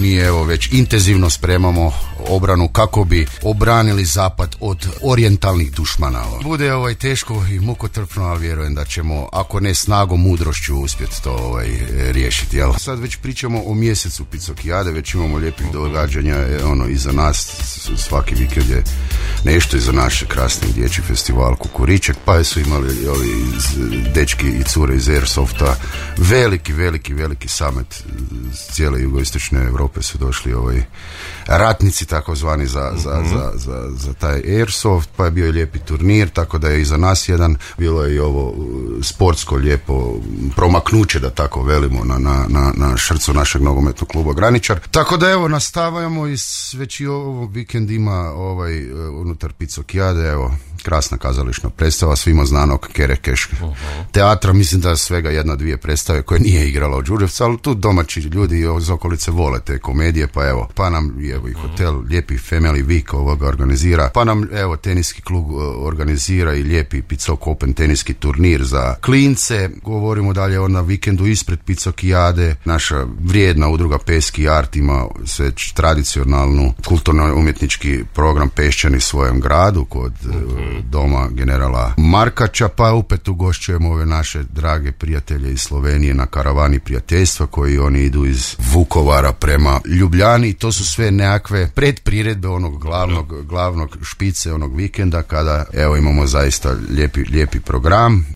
mi evo već intenzivno spremamo obranu kako bi obranili zapad od orijentalnih dušmana. Bude teško i mukotrpno, ali vjerujem da ćemo, ako ne snagom, mudrošću uspjeti to riješiti. Jel? Sad već pričamo o mjesecu Picokijade, već imamo lijepih događanja iza nas, svaki vikend je nešto iza naše krasni dječji festival Kukuriček, pa su imali dečki i cure iz Airsofta, veliki summit cijele jugoistočne Europe su došli ratnici takozvani za taj Airsoft, pa je bio i lijepi turnir, tako da je iza nas jedan, bilo je i ovo sportsko lijepo promaknuće, da tako velimo, na šrcu našeg nogometnog kluba Graničar. Tako da evo nastavljamo i već i ovo vikend ima unutar Picokijade, krasna kazališna predstava svima znanog Kerekeš teatra, mislim da svega 1-2 predstave koje nije igrala u Đurđevcu, ali tu domaći ljudi iz okolice vole te komedije, pa nam i hotel lijepi Family Week organizira, pa nam teniski klub organizira i lijepi Picok Open teniski turnir za klince. Govorimo dalje na vikendu ispred Picokijade, naša vrijedna udruga Peski Art ima već tradicionalnu kulturno-umjetnički program Pešćani svojem gradu kod doma generala Markača, pa opet ugošćujemo ove naše drage prijatelje iz Slovenije na karavani prijateljstva koji oni idu iz Vukovara prema Ljubljani. To su sve nekakve predpriredbe onog glavnog špice onog vikenda kada imamo zaista lijepi program.